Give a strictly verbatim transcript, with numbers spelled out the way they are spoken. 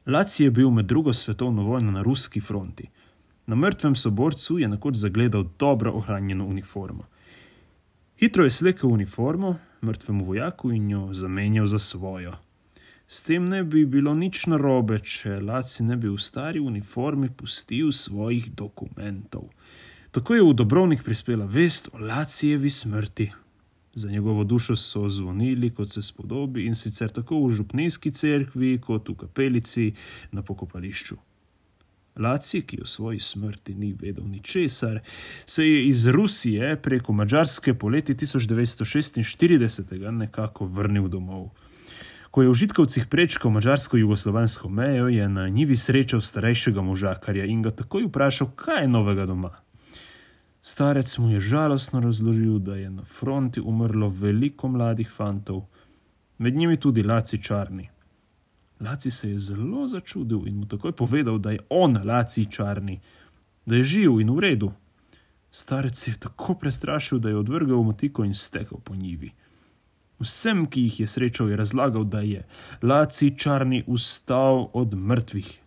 Laci je bil med drugo svetovno vojno na ruski fronti. Na mrtvem soborcu je nekoč zagledal dobro ohranjeno uniformo. Hitro je slekel uniformo mrtvemu vojaku in jo zamenjal za svojo. S tem ne bi bilo nič narobe, če Laci ne bi v stari uniformi pustil svojih dokumentov. Tako je v Dobrovnik prispela vest o Lacijevi smrti. Za njegovo dušo so zvonili, kot se spodobi, in sicer tako v župnijski cerkvi, kot v kapelici na pokopališču. Laci, ki o svoji smrti ni vedel ničesar, se je iz Rusije preko Madžarske poleti tisoč devetsto šestinštirideset nekako vrnil domov. Ko je v Žitkovcih prečkal madžarsko-jugoslovansko mejo, je na njivi srečal starejšega možakarja in ga takoj vprašal, kaj je novega doma. Starec mu je žalostno razložil, da je na fronti umrlo veliko mladih fantov, med njimi tudi Laci Čarni. Laci se je zelo začudil in mu takoj povedal, da je on Laci Čarni, da je živ in v redu. Starec se je tako prestrašil, da je odvrgel motiko in stekel po njivi. Vsem, ki jih je srečal, je razlagal, da je Laci Čarni vstal od mrtvih.